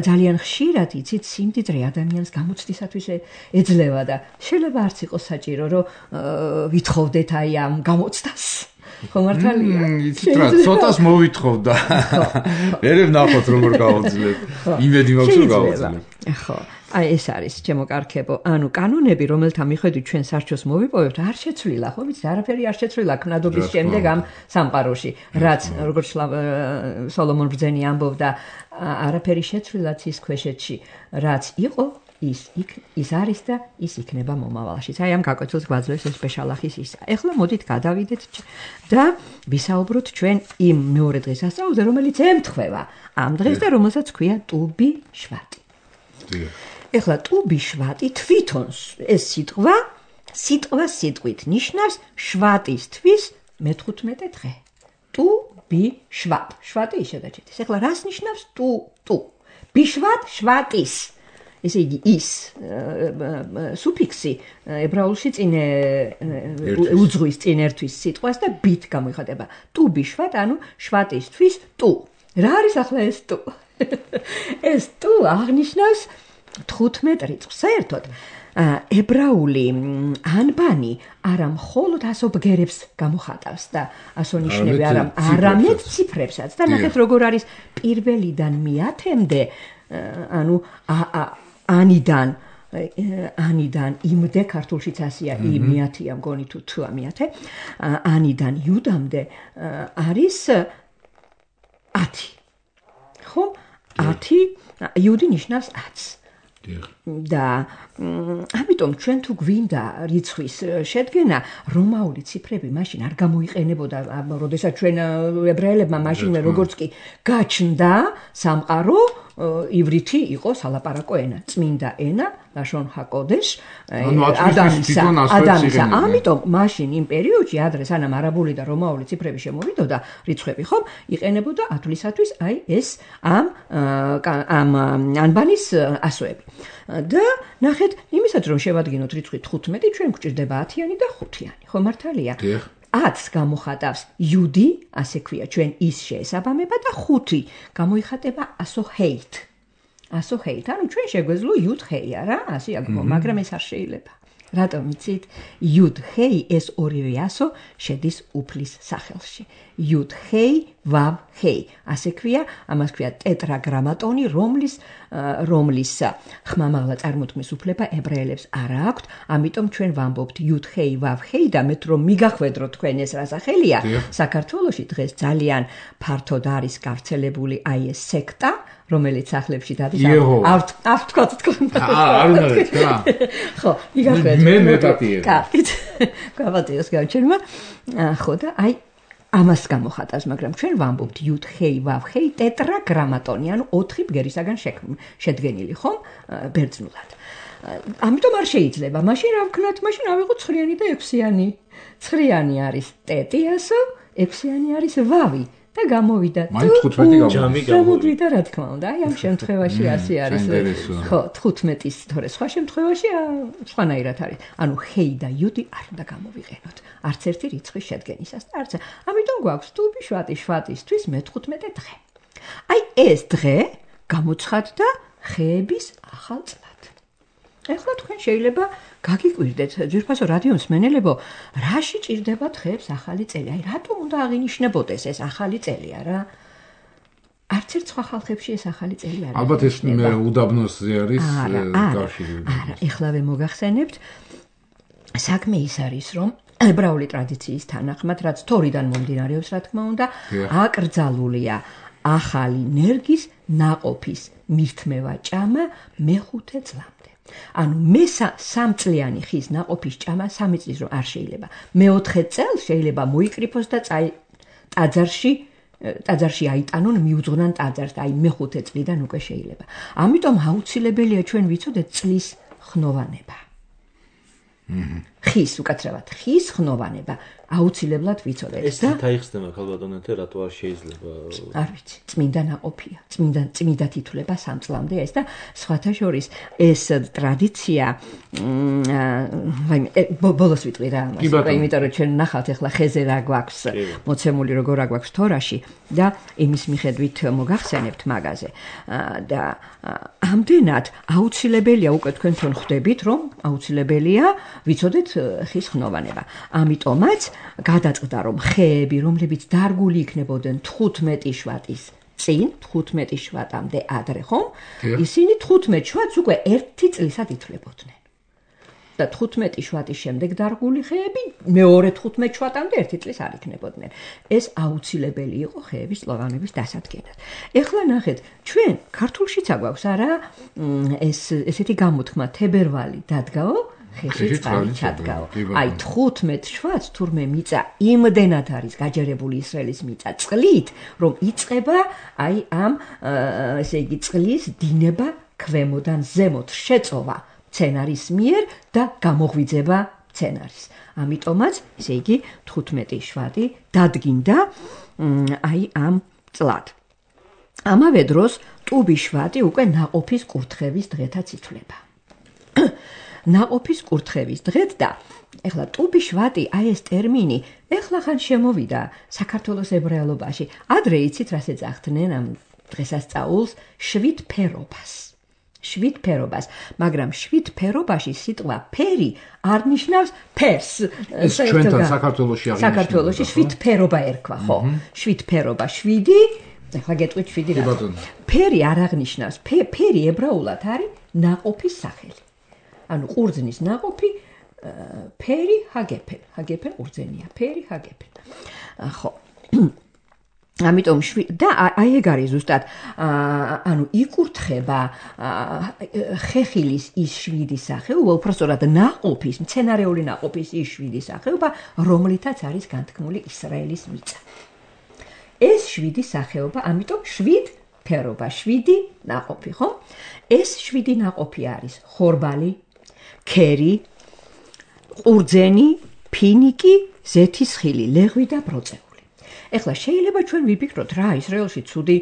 S4: ძალიან ხშირად იცით სიმდიდრე ადამიანს გამოცდისათვის ეძლევა და შეიძლება არც იყოს საჭირო რომ ვითხოვდეთ აი ამ გამოცდას. ხო მართალია?
S3: იცით რა, ცოტას მოვითხოვდა. ვერ ვნახოთ როგორ გავაძლებ. იმედი მაქვს რომ გავაძლებ.
S4: ხო. აი ეს არის ჩემო კარგებო, ანუ კანონები, რომელთა მიხედვით ჩვენ სარჩოს მოვიპოვებთ, არ შეცვლილა, ხო ვიცი, არაფერი არ შეცვლილა ქმნადობის შემდეგ ამ სამყაროში, რაც როგორც სოლომონ ბრძენი ამბობდა, არაფერი შეცვლილა ცის ქვეშეთში, რაც იყო, ის არის და ის იქნება მომავალში. აი ამ გაკვეთილს გვაძლევს ეს ბეშალახის ისა. ეხლა მოდით გადავიდეთ და ვისაუბროთ ჩვენ იმ მეორე დღესასწაულზე, რომელიც ემთხვევა ამ დღეს და რომელსაც ქვია ტუბი შვატი. ეხლა ტუბი შვატი თვითონ ეს სიტყვა სიტყვით ნიშნავს შვატის თვის მე-15 დღე. ტუბი შვატ. შვატი ისე დაჭერდეს. ეხლა რას ნიშნავს ტუ? ბიშვატ შვატის. ესე იგი ის სუფიქსი ებრაულში წინ უძღვის წინ ერთვის სიტყვას და ბით გამოიხატება. ტუბი შვატ, ანუ შვატისთვის ტუ. რა არის ახლა ეს ტუ? ეს ტუ აღნიშნავს 15 რიცხვს. საერთოდ ებრაული ანბანი არა მხოლოდ ასობგერებს გამოხატავს და ასონიშნები არამედ ციფრებსაც და ნახეთ როგორ არის პირველიდან მეათემდე ანუ ანიდან იმდე ქართულშიც ასია მეათეა მგონი თუ თუა მეათე ანიდან იუდამდე არის 10 ხო 10 იუდი ნიშნავს 10 და ამიტომ ჩვენ თუ გვინდა რიცხვის შედგენა რომაული ციფრები მაშინ არ გამოიყენებოდა როდესაც ჩვენ ებრაელებმა მაშინ როგორც კი გაჩნდა სამყარო ივრითი იყო სალაპარაკო ენა წმინდა ენა ლაშონ ჰაკოდეშ ადამიანისა ამიტომ მაშინ იმ პერიოდში ადრე სანამ არაბული და რომაული ციფრები შემოვიდოდა რიცხვები ხომ იყენებოდა ათვლისათვის აი ეს ამ ანბანის ასოები და ნახეთ იმისაც რომ შევადგინოთ რიცხვი 15 ჩვენ გვჭირდება 10-იანი და 5-იანი ხო მართალია 10 გამოხატავს იუდი ასე ქვია ჩვენ ის შეესაბამება და 5 გამოიხატება ასოჰეით ანუ ჩვენ შეგვეძლო იუდ ჰეი არა ასე აგმო მაგრამ ეს არ შეიძლება რატომ იცით იუდ ჰეი ეს ორივე ასო შედის უფლის სახელში იუდ ჰეი ვავ ჰეი ასე ქვია ამას ქვია ტეტრაგრამატონი რომლის ხმამაღლა წარმოთქმის უფლება ებრაელებს არ აქვთ ამიტომ ჩვენ ვამბობთ იუდ ჰეი ვავ ჰეი და მეც რომ მიგახვედროთ თქვენ ეს რა სახელია საქართველოში დღეს ძალიან ფართოდ არის გავრცელებული აი ეს სექტა რომელიც სახლებში დადის არ თქვათ თქვენ
S3: არ უნდა თქვა
S4: ხო მიგახვედროთ
S3: მე მეტატიე
S4: კარგით გავატიოს გავჩერმა ხო და აი ამას გამოხატავს მაგრამ ჩვენ ვამბობთ იუდ ჰეი ვავ ჰეი ტეტრაგრამატონი ანუ 4 ბგერისაგან შედგენილი ხომ ბერძნულად ამიტომ არ შეიძლება მაშინ რა ვქნათ მაშინ ავიღოთ 9-იანი და 6-იანი 9-იანი არის ტეტი ასო 6-იანი არის ვავი და გამოვიდა გამოვიდა რა თქმა უნდა აი ამ შემთხვევაში ასე არის ხო 15-ის თორე სხვა შემთხვევაში სხვანაირად არის ანუ ჰეი და იუდი არ უნდა გამოვიყენოთ არც ერთი რიცხვის შედგენისას და არც ამიტომ გვაქვს ტუბი შვატისთვის მე-15 დღე აი ეს დღე გამოცხადდა ხეების ახალ წლად ეხლა თქვენ შეიძლება გაგიკვირდეთ ძვირფასო რადიო მსმენელებო რაში ჭირდება დღეებს ახალი წელი აი რატომ უნდა აღინიშნებოდეს ეს ახალი წელი არა არც ერთ სხვა ხალხებში ეს ახალი წელი არის
S3: ალბათ ეს უდაბნოსზე არის კავშირი
S4: არა ეხლავე მოგახსენებთ საქმე ის არის რომ ებრაული ტრადიციის თანახმად რაც თორიდან მომდინარეობს რა თქმა უნდა აკრძალულია ახალი ნერგის ნაყოფის მირთმევა ჭამა მე-5 წლამდე ანუ მე-3 ხის ნაყოფის ჭამა 3 წლის რომ არ შეიძლება მე-4 წელს შეიძლება მოიკრიფოს და ტაძარში აიტანონ მიუძღვნან ტაძარს აი მე-5 წლიდან უკვე შეიძლება ამიტომ აუცილებელია ჩვენ ვიცოდეთ წლის ხნოვანება ხის უკაცრავად ხის ხნოვანება აუცილებლად ვიცოდეთ
S2: ეს თაიხსნება ქალბატონეთე რატო არ შეიძლება
S4: არ ვიცი წმინდა ნაყოფია წმინდა თითვლება 3 წლამდე ეს და სხვათა შორის ეს ტრადიცია ბოლოს ვიტყვი რა ამას იმიტომ რომ ჩვენ ნახავთ ახლა ხეზე რა გვაქვს მოცემული როგორ რა გვაქვს თორაში და იმის მიხედვით მოგახსენებთ მაგაზე და ამდენად აუცილებელია უკვე თქვენ თვითონ ხვდებით რომ აუცილებელია ვიცოდეთ ხის ხნოვანება ამიტომაც გადაწყდა რომ ხეები რომლებიც დარგული იქნებოდნენ 15 შვატის წინ 15 შვატამდე ადრე ხომ ისინი 15 შვატს უკვე 1 წლისად ითვლებოდნენ და 15 შვატის შემდეგ დარგული ხეები მეორე 15 შვატამდე 1 წლის არ იქნებოდნენ ეს აუცილებელი იყო ხეების წლოვანების დასადგენად ეხლა ნახეთ ჩვენ ქართულშიც აგვაქვს არა ესეთი გამოთქმა თებერვალი დადგაო ხეში წყალი ჩადგაო აი 15 შვატს თურმე მიწა იმდენად არის გაჯერებული ისრაელის მიწა წყლით რომ იწყება აი ამ ესე იგი წყლის დინება ქვემოდან ზემოთ შეწოვა მცენარის მიერ და გამოღვიძება მცენარის ამიტომაც ესე იგი 15 შვატი დადგინდა აი ამ წლად ამავე დროს ტუბი შვატი უკვე ნაყოფის კურთხევის დღეთაც ითვლება. ნაყოფის კურთხევის დღეთ და ეხლა ტუბი შვატი, აი ეს ტერმინი, ეხლახან შემოვიდა საქართველოს ებრაელობაში. ადრე იცით რას ეძახდნენ ამ დღესასწაულს? შვიდფერობას. შვიდფერობას, მაგრამ შვიდფერობაში სიტყვა ფერი არ ნიშნავს ფერს.
S3: ეს ჩვენთან საქართველოში აღინიშნება.
S4: საქართველოში შვიდფერობა ერქვა, ხო? შვიდფერობა, შვიდი, ეხლა გეტყვით შვიდი რა. ფერი არ აღნიშნავს. ფერი ებრაულად არის ნაყოფის სახელი. ანუ ყურძნის ნაყოფი ფერი ჰაგეფენ. ჰაგეფენ ყურძენია. ფერი ჰაგეფენ. ხო. ამიტომ და აი ეგ არის ზუსტად ანუ იკურთხება ხეხილის ის შვიდი სახეობა, უпростоრად ნაყოფის, მცენარეული ნაყოფის ის შვიდი სახეობა, რომლითაც არის განთქმული ისრაელის მიწა. ეს შვიდი სახეობა, ამიტომ შვიდფერობა, შვიდი ნაყოფი, ხო? ეს შვიდი ნაყოფი არის ხორბალი, ქერი, ყურძენი, ფინიკი, ზეთისხილი, ლეღვი და ბროწეული. ეხლა შეიძლება ჩვენ ვიფიქროთ რა ისრაელში ცუდი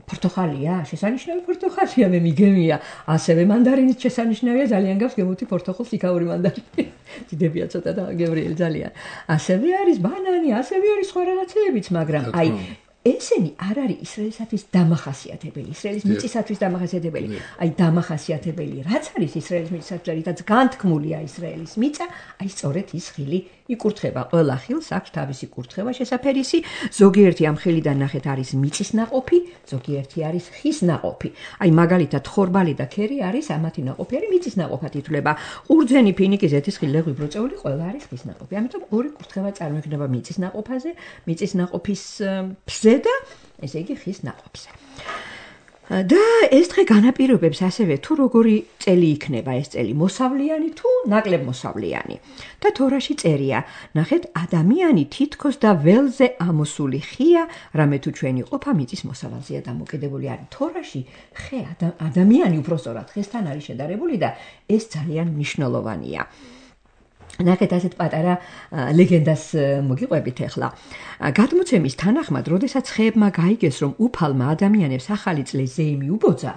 S4: პორტოხალია, შესანიშნავი პორტოხალია, მე მიგემია, ასევე მანდარინიც შესანიშნავია, ძალიან გავს გემუთი პორტოხალს იქაური მანდარინი. დიდებია ცოტა და გევრიელი ძალიან. ასევე არის ბანანი, ასევე არის სხვა რაღაცეებიც, მაგრამ აი ესენი არ არის ისრაელისათვის დამახასიათებელი, ისრაელის მიწისათვის დამახასიათებელი. აი დამახასიათებელი რაც არის ისრაელის მიწისათვის, რითაც განთქმულია ისრაელის მიწა, აი სწორედ ის ხილი იკურთხება. ყველა ხილს აქვს თავისი კურთხევა შესაფერისი, ზოგიერთი ამ ხილიდან ნახეთ არის მიწის ნაყოფი, ზოგიერთი არის ხის ნაყოფი. აი მაგალითად ხორბალი და ქერი არის ამათი ნაყოფი, არის მიწის ნაყოფად ითვლება. ყურძენი, ფინიკი, ზეთისხილი, ლეღვი, ბროწეული ყველა არის ხის ნაყოფი. ამიტომ ორი კურთხევა წარმოიქმნება მიწის ნაყოფაზე, მიწის ნაყოფის ფზე და ესე იგი ხის ნაყოფზე. და ეს დღე განაპირობებს ასევე თუ როგორი წელი იქნება ეს წელი, მოსავლიანი თუ ნაკლებ მოსავლიანი. და თორაში წერია, ნახეთ, ადამიანი თითქოს და ველზე ამოსული ხია, რამე თუ ჩვენი ყოფა მიწის მოსავალზეა დამოკიდებული არის. თორაში ხე ადამიანი უпростоრად ხესთან არის შედარებული და ეს ძალიან მნიშვნელოვანია. ნახეთ ასეთ პატარა ლეგენდას მოგიყვებით ახლა. გადმოცემის თანახმად, როდესაც ხეებმა გაიგეს, რომ უფალმა ადამიანებს ახალი წლის ზეიმი უბოძა,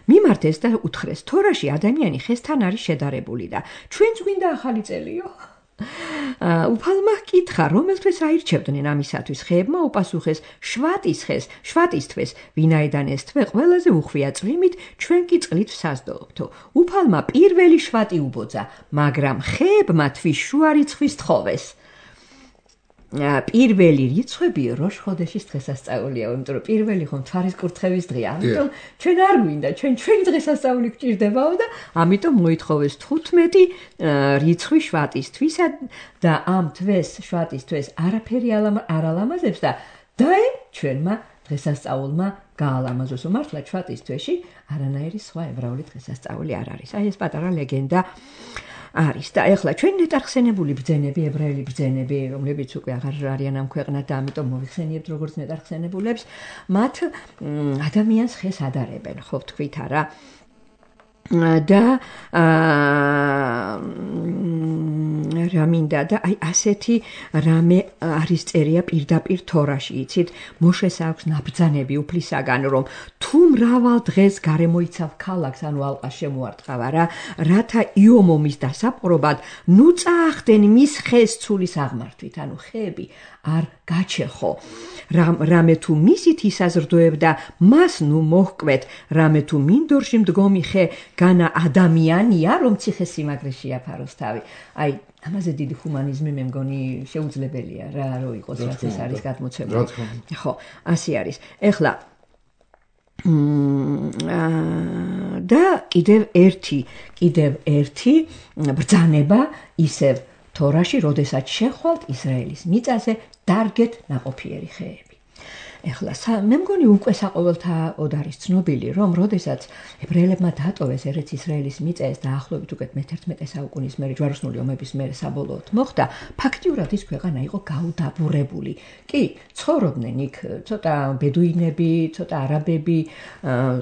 S4: მიმართეს და უთხრეს, თორაში ადამიანი ხესთან არის შედარებული და ჩვენც გვინდა ახალი წელიო. უფალმა ჰკითხა, რომელთვის აირჩევდნენ ამისათვის, ხეებმა უპასუხეს, შვატის თვეს, ვინაიდან ეს თვე ყველაზე უხვია წვიმით, ჩვენ კი წყლით ვსაზდოობთო. უფალმა პირველი შვატი უბოძა, მაგრამ ხეებმა თვის შუა რიცხვის თხოვეს. პირველი რიცხვები როშ ხოდეშის დღესასწაულია, იმიტომ რომ პირველი ხომ თვარის კურთხევის დღეა. ამიტომ ჩვენ არ გვინდა, ჩვენი დღესასწაული გვჭირდებაო და ამიტომ მოითხოვეს 15 რიცხვი შვატისთვისა და ამ თვეს შვატის თვეს არაფერი არ ალამაზებს და დაე ჩვენმა დღესასწაულმა გაალამაზოს. მართლა შვატის თვეში არანაირი სხვა ებრაული დღესასწაული არ არის. აი ეს პატარა ლეგენდა არის და ეხლა ჩვენ ნეტარხსენებული ბრძენები, ებრაელი ბრძენები, რომლებიც უკვე აღარ არიან ამ ქვეყნად და ამიტომ მოიხსენიებთ როგორც ნეტარხსენებულებს, მათ ადამიანს ხეს ადარებენ, ხო ვთქვით არა? და რა მინდა და აი ასეთი რამე არის წერია პირდაპირ თორაში, იცით? მოშეს აქვს ნაბრძანები უფლისაგან, რომ თუ მრავალ დღეს გარემოიცავ ქალაქს, ანუ ალყას შემოარტყავა რა, რათა იომომის დასაპყრობად, ნუ წაახდენ მის ხეს ცულის აღმართვით, ანუ ხეები არ გაჩეხო. რამე თუ მისით ისაზრდოებდა, მას ნუ მოჰკვეთ, რამე თუ მინდორში მდგომი ხე განა ადამიანია, რომ ციხესიმაგრეში აფაროს თავი. აი ამაზე დიდი ჰუმანიზმი მე მგონი შეუძლებელია რა რო იყოს, რაც ეს არის გადმოცემული. ხო, ასე არის. ეხლა და კიდევ ერთი ბრძანება ისევ თორაში, როდესაც შეხვალთ ისრაელის მიწაზე დარგეთ ნაყოფიერი ხეები. ეხლა მე მგონი უკვე საყოველთაოდ არის ცნობილი, რომ როდესაც ებრაელებმა დატოვეს ერეთ ისრაელის მიწა ეს დაახლოებით უკვე მე-11 საუკუნის მერე ჯვაროსნული ომების მერე საბოლოოდ მოხდა, ფაქტიურად ის ქვეყანა იყო გაუდაბურებული. კი, ცხოვრობდნენ იქ ცოტა ბედუინები, ცოტა არაბები,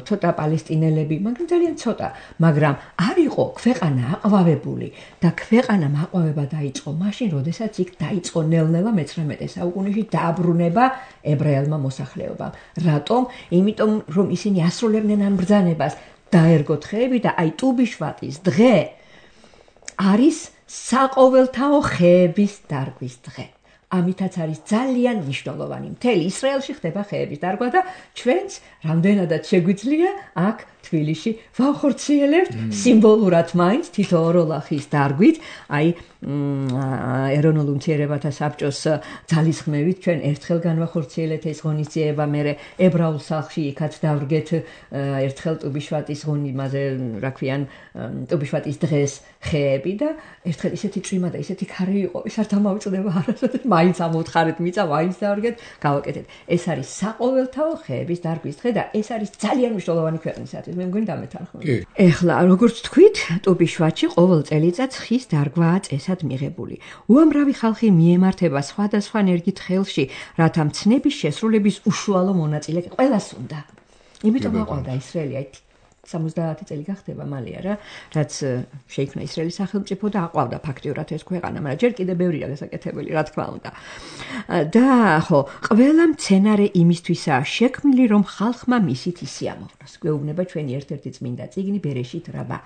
S4: ცოტა პალესტინელები, მაგრამ ძალიან ცოტა, მაგრამ არ იყო ქვეყანა აყვავებული და ქვეყანამ აყვავება დაიწყო მაშინ, როდესაც იქ დაიწყო ნელ-ნელა მე-19 საუკუნეში დააბრუნება ებრაელმა მოსახლეობამ. რატომ? იმიტომ რომ ისინი ასრულებდნენ ამ ბრძანებას დაერგოთ ხეები და აი ტუბიშვატის დღე არის საყოველთაო ხეების დარგვის დღე. ამითაც არის ძალიან მნიშვნელოვანი. მთელი ისრაელში ხდება ხეების დარგვა და ჩვენც რამდენადაც შეგვიძლია აქ თბილისში ვახორციელებთ სიმბოლურად მაინც თითო ოროლახის დარგვით, აი ეროვნულ უმცირესობათა საბჭოს ძალისხმევით ჩვენ ერთხელ განვახორციელეთ ეს ღონისძიება, მერე ებრაულ სახლში იქაც დავრგეთ ერთხელ ტუბიშვატის ღონისძიებაზე, რა ქვიან, ტუბიშვატის დღეს ხეები და ერთხელ ისეთი წვიმა და ისეთი ქარი იყო, ის არ დამავიწყდება არასოდეს, მაინც ამოუთხარეთ მიწა, მაინც დავვრგეთ, გავაკეთეთ. ეს არის საყოველთაო ხეების დარგვის დღე და ეს არის ძალიან მნიშვნელოვანი ქვეყნისათვის. მე მგონი დამეთანხმებით. ეხლა როგორც თქვით, ტუბიშვატში ყოველ წელიწადს ხის დარგვაა წესად მიღებული. უამრავი ხალხი მიემართება სხვადასხვა ნერგით ხელში, რათა მცნების შესრულების უშუალო მონაწილე ყველას უნდა. იმიტომ აყვავდა ისრაელი 70 წელი გახდება მალე არა, რაც შეიქმნა ისრაელის სახელმწიფო და აყვავდა ფაქტიურად ეს ქვეყანა, მაგრამ ჯერ კიდევ ბევრია გასაკეთებელი, რა თქმა უნდა. და ხო, ყველა მცენარე იმისთვისაა შექმნილი, რომ ხალხმა მისით ისიამოვნოს. გვეუბნება ჩვენი ერთ-ერთი წმინდა წიგნი ბერეშით რაბა.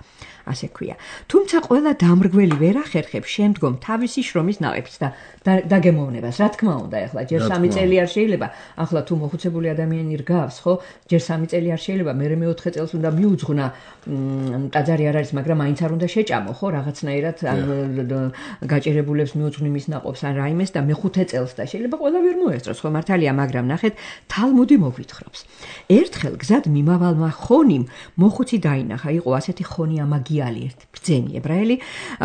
S4: ასე ქვია. თუმცა ყველა დამრგველი ვერ ახერხებს შემდგომ თავისი შრომის ნაყოფს და დაგემოვნებას. რა თქმა უნდა, ეხლა ჯერ 3 წელი არ შეიძლება, ახლა თუ მოხუცებული ადამიანი რგავს, ხო, ჯერ 3 წელი არ შეიძლება, მერე მე-4 წელს უნდა მიუძღვნა, ტაძარი არ არის, მაგრამ მაინც არ უნდა შეჭამო, ხო, რაღაცნაირად გაჭირებულებს მიუძღვნი მის ნაყოფს ან რაიმეს და მე-5 წელს და შეიძლება ყველა ვერ მოესწროს, ხო, მართალია, მაგრამ ნახეთ, თალმუდი მოგვითხრობს. ერთხელ გზად მიმავალმა ხონიმ მოხუცი დაინახა, იყო ასეთი ხონი ამაგიალი ერთი ბრძენი ებრაელი,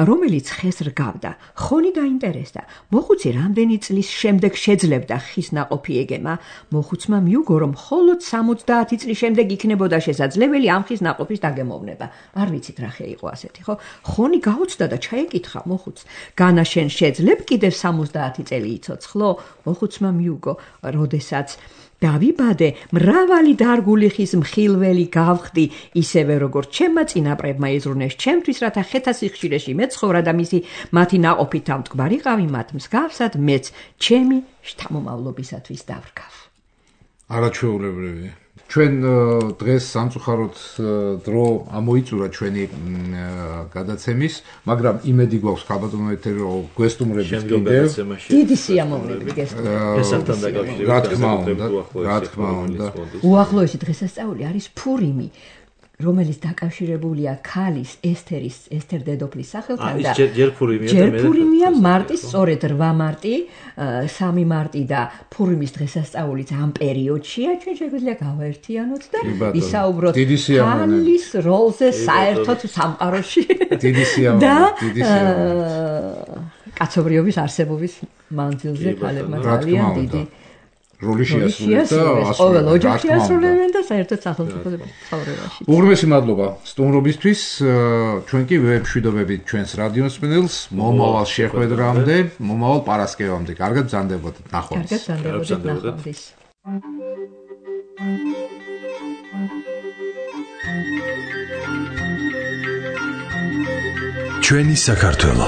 S4: რომელიც ხეს რგავდა. ხონი დაინტერესდა. მოხუცი რამდენი წლის შემდეგ შეძლებდა ხის ნაყოფი ეგემა, მოხუცმა მიუგო, რომ მხოლოდ 70 წლის შემდეგ იქნებოდა შესაძლებელი ამ ხის ნაყოფის დაგემოვნება. არ ვიცით რა ხე იყო ასეთი, ხო? ხონი გაუცდა და ჩაეკითხა მოხუცს, განა შენ შეძლებ კიდევ 70 წელი იცოცხლო? მოხუცმა მიუგო, როდესაც დავიბადე, მრავალი დარგული ხის მხილველი გავხდი, ისევე როგორც ჩემმა წინაპრებმა ეზრუნეს ჩემთვის, რათა ხეთა სიხშირეში მეცხოვრა და მათი ნაყოფით ამტკბარიყავი მათ მსგავსად, მეც ჩემი შთამომავლობისათვის დავრგავ.
S3: არაჩვეულებრივი. ჩვენ დღეს სამწუხაროდ დრო ამოიწურა ჩვენი გადაცემის, მაგრამ იმედი გვაქვს ქალბატონო ეთერი რომ გვესტუმრებით კიდევ
S4: დიდი სიამოვნებით
S2: გესმენთ.
S3: რა თქმა უნდა.
S4: უახლოესი დღესასწაული არის ფურიმი, რომელიც დაკავშირებულია ქალის ესთერ დედოფლის სახელთან და
S2: ჯერ
S4: ფურიმია მარტის, სწორედ 8 მარტი, 3 მარტი და ფურიმის დღესასწაულიც ამ პერიოდშია. ჩვენ შეგვიძლია გავაერთიანოთ და ვისაუბროთ ქალის როლზე საერთოდ სამყაროში და კაცობრიობის არსებობის მანძილზე ქალებმა ძალიან დიდი
S3: როლი შეასრულეს
S4: ყოველ ოჯახში ასრულებენ და საერთოდ სახელმწიფო ცხოვრებაში.
S3: უღრმესი მადლობა სტუმრობისთვის. ჩვენ კი ვემშვიდობებით ჩვენს რადიოსმენელს მომავალ შეხვედრამდე, მომავალ პარასკევამდე. კარგად ბრძანდებოდეთ, ნახვამდის.
S4: კარგად ბრძანდებოდეთ, ნახვამდის.
S5: ჩვენი საქართველო.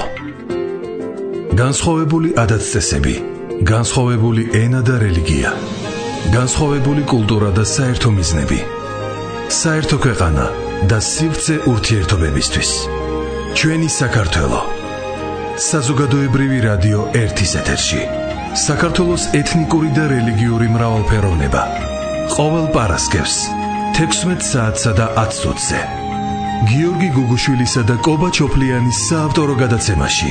S5: განსხვავებული ადათ-წესები, განსხვავებული ენა და რელიგია, განსხვავებული კულტურა და საერთო მიზნები, საერთო ქვეყანა და სივრცე ურთიერთობებისთვის. ჩვენი საქართველო. საზოგადოებრივი რადიო 1-ის ეთერში. საქართველოს ეთნიკური და რელიგიური მრავალფეროვნება. ყოველ პარასკევს 16 საათსა და 10 წუთზე. გიორგი გუგუშვილისა და კობა ჩოფლიანის საავტორო გადაცემაში.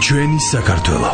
S5: ჩვენი საქართველო.